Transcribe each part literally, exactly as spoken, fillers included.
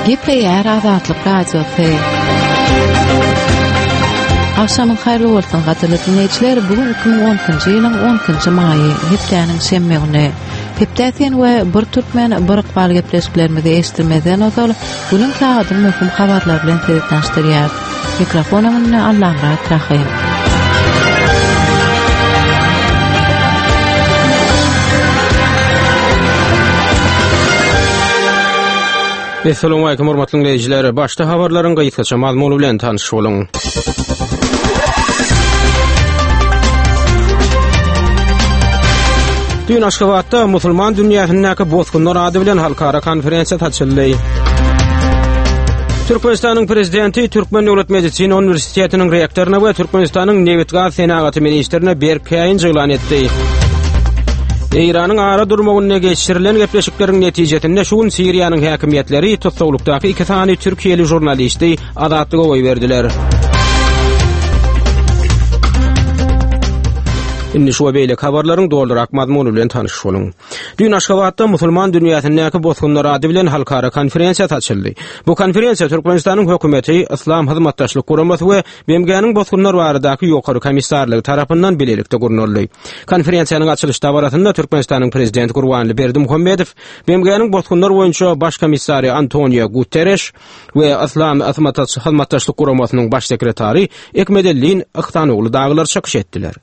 Gepleýär Azatlyk Radiosy. Agşamyň haýyrly bolsun gadyrly dinleýjiler. Bu gün iki müň on ikinji ýylyň on ikinji maýy, hepdäniň şenbe güni. Hepde sen we bir türkmen bir ykbal gepleşiklerimizi eşitdirmezden ozal günüň sagadyň möhüm habarlary bilen sizi tanyşdyrýar. Mikrofon öňünde Allamyrat Rahym. Esselamu aleýkum hormatly dinleýjiler. Başda habarlaryň gysgaça mazmuny bilen tanyş boluň. Dün Aşgabatda musulman dünýäsindäki bosgunlar ady bilen halkara konferensiýasy açyldy. Türkmenistanyň prezidenti Türkmen Döwlet Medisina Uniwersitetiniň rektoryna we Türkmenistanyň nebit-gaz senagaty ministrine berk käýinç yglan etdi. Eýranyň ara durmagynda geçirilen gepleşikleriň netijesinde şu gün Siriýanyň häkimiýetleri tussaglykdaky iki sany türkiýeli žurnalisti azatlyga goýberdiler. Indi şu we beýleki habarlaryň dolurak mazmuny bilen tanyş boluň. Dün Aşgabatda musulman dünýäsindäki bosgunlar ady bilen halkara konferensiýasy açyldy. Bu konferensiýa Türkmenistanyň hökümeti, Yslam Hyzmatdaşlyk Guramasy we B M G-niň bosgunlar baradaky ýokary komissarlygy tarapyndan bilelikde gurnaldy. Konferensiýanyň açylyş dabarasynda Türkmenistanyň prezidenti Gurbanguly Berdimuhamedow, B M G-niň bosgunlar boýunça baş komissary Antonio Guterres we Yslam Hyzmatdaşlyk Guramasynyň baş sekretary Ekmedellin Ihsanogly dagylar çykyş etdiler.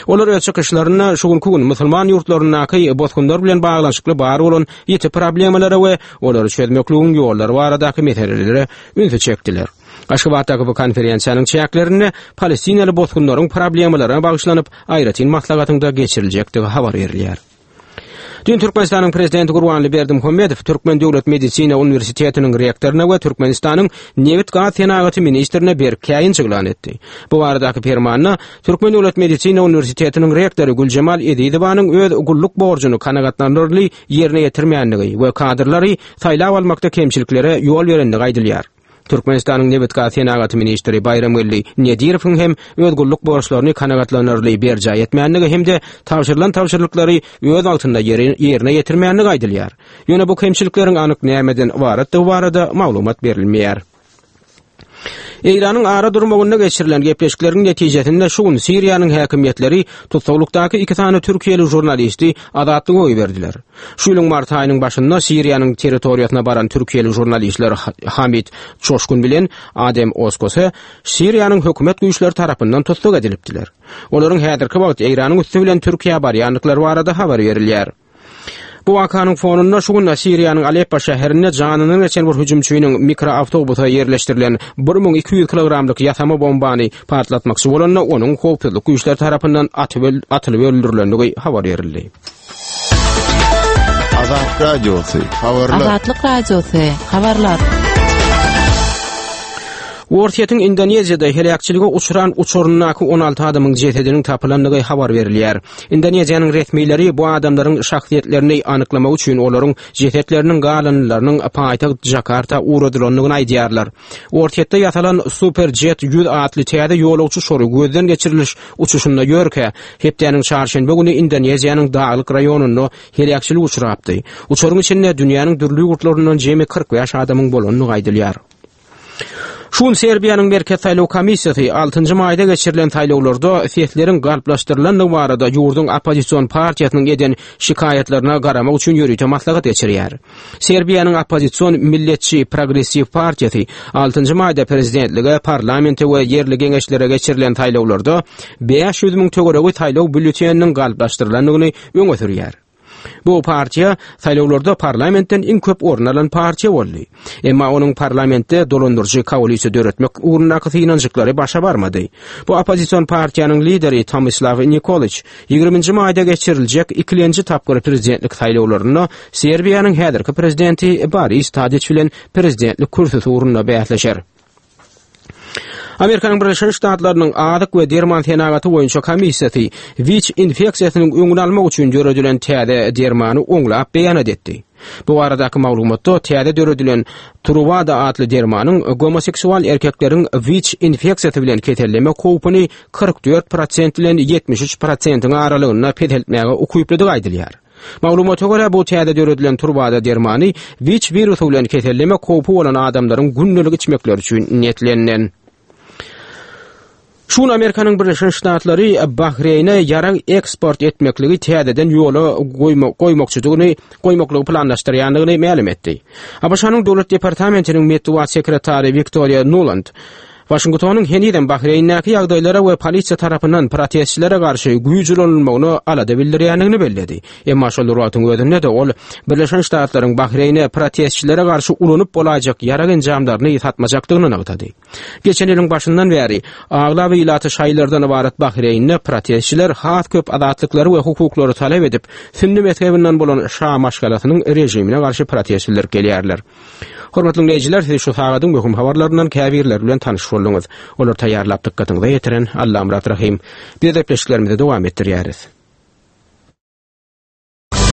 Olar öz çykyşlarynda şu günkü gün musulman ýurtlaryndaky bosgunlar bilen baglanyşykly bar bolan ýiti problemalara we olary çözmekligiň ýollary baradaky meselelere ünsi çekdiler. Aşgabatdaky bu konferensiýanyň çäklerinde Palestinaly bosgunlaryň problemalaryna bagyşlanyp aýratyn maslahatyň geçiriljekdigi habar berilýär. Dün Türkmenistanyň prezidenti Gurbanguly Berdimuhamedow Türkmen Döwlet Medisina Uniwersitetiniň rektoryna we Türkmenistanyň nebit-gaz senagaty ministrine berk käýinç yglan etdi. Bu baradaky permanda Türkmen Döwlet Medisina Uniwersitetiniň rektory Güljemal Ezizowanyň öz gulluk borjuny kanagatlanarly ýerine ýetirmänligi we kadrlary saýlap almakda kemçiliklere ýol berendigi aýdylýar. Türkmenistanyň nebit-gaz senagaty ministri Baýramgeldi Nedirowyň hem öz gulluk borçlaryny kanagatlanarly berjaý etmänligi hem-de tabşyrylan tabşyryklary öz wagtynda ýerine ýetirmänligi aýdylýar. Ýöne bu kemçilikleriň anyk nämeden ybaratdygy barada maglumat berilmeýär. Eýranyň ara durmagynda geçirilen gepleşikleriň netijesinde şu gün Siriýanyň häkimiýetleri tussaglykdaky iki sany türkiýeli žurnalisti azatlyga goýberdiler. Şu ýylyň mart aýynyň başynda Siriýanyň territoriýasyna baran türkiýeli žurnalistler Hamid Çoşkun bilen Adem Oskose Siriýanyň hökümet güýçleri tarapyndan tussag edilipdiler. Olaryň häzirki wagt Eýranyň üsti bilen Türkiýä barýandyklary barada habar berilýär. Bu wakanyň fonunda şu gün Siriýanyň Aleppo şäherinde janyny geçen bir hüjümçiniň mikroawtobusa ýerleşdirilen bir müň iki ýüz kilogramlyk ýasama bombany partlatmakçy bolanda onuň howpsuzlyk güýçleri tarapyndan atylyp öldürilendigi habar berildi. Azatlyk Radiosy, habarlar. Azatlyk Radiosy, habarlar. Orsýetiň Indoneziýada heläkçilige uçran uçaryndaky on alty adamyň jesediniň tapylandygy habar berilýär. Indoneziýanyň resmileri bu adamlaryň şahsyýetlerini anyklamak üçin olaryň jesetleriniň galyndylarynyň paýtagt Jakarta ugradylandygyny aýdýarlar. Orsýetde ýasalan Superjet ýüz atly täze ýolagçy uçary gözden geçiriliş uçuşynda ýörkä, hepdäniň çarşenbe güni Indoneziýanyň daglyk raýonynda heläkçilik uçrapdy. Uçaryň içinde dünýäniň dürli ýurtlaryndan jemi kyrk bäş adamyň bolandygy aýdylýar. Şu gün Serbiýanyň Merkez Saýlaw Komissiýasy altynjy maýda geçirilen saýlawlarda sesleriň galplaşdyrylandygy barada ýurduň oppozision partiýasynyň eden şikaýatlaryna garamak üçin ýörite maslahat geçirýär. Serbiýanyň oppozision milletçi progressiw partiýasy altynjy maýda prezidentlige, parlamente we ýerli geňeşlere geçirilen saýlawlarda bäş ýüz müň töweregi saýlaw býulleteniniň galplaşdyrylandygyny öňe sürýär. Bu partiýa saýlawlarda parlamentden iň köp orun alan partiýa boldy. Emma onuň parlamentde dolandyryjy koalisiýa döretmek ugrundaky synanyşyklary başa barmady. Bu oppozision partiýanyň lideri Tomislav Nikolić ýigriminji maýda geçiriljek ikilenji tapgyr prezidentlik saýlawlarynda Serbiýanyň häzirki prezidenti Boris Tadić bilen prezidentlik kürsüsi ugrunda bäsleşer. Amerikanyň Birleşen Ştatlarynyň Azyk we Derman senagaty boýunça komissiýasy WIÇ infeksiýasynyň öňüni almak üçin döredilen täze dermany oňlap beýanat etdi. Bu baradaky maglumatda täze döredilen Truvada atly dermanyň gomoseksual erkekleriň WIÇ infeksiýasy bilen kesellemek howpuny kyrk dört prosent bilen ýetmiş üç prosentiň aralygynda peseltmäge ukyplydygy aýdylýar. Maglumata görä bu täze döredilen turbada dermany WIÇ wirusy bilen kesellemek howpy bolan adamlaryň gündelik içmekleri üçin niýetlenilen. Şun Amerikanyň Birleşen Ştatlary Bahreýne ýarag eksport etmekligi täzeden ýola goýmakçydygyny, goýmaklygy planlaşdyrýandygyny mälim etdi. ABŞ-nyň Döwlet departamentiniň metbugat sekretary Wiktoriýa Nuland Waşingtonyň henizem Bahreýndäki ýagdaýlara we polisiýa tarapyndan protestçilere garşy güýç ulanylmagyna alada bildirýändigini belledi. Emma şol wagtyň özünde-de ol Birleşen Ştatlaryň Bahreýne protestçilere garşy ulanyp bolaýjak ýarag enjamlaryny satmajakdygyny nygtady. Geçen ýylyň başyndan bäri aglaba ilaty şaýlardan ybarat Bahreýnde protestçiler has köp azatlyklary we hukuklary talap edip, sünni mezhebinden bolan şa maşgalasynyň rejimine garşy protest bildirip gelýärler. Hormatly dinleýjiler, siz şu sagadyň möhüm habarlaryndan käbirleri bilen tanyş bolduňyz. Olar taýýarlap dykgatyňyza ýetiren Allamyrat Rahim. Biz gepleşiklerimizi dowam etdirýäris.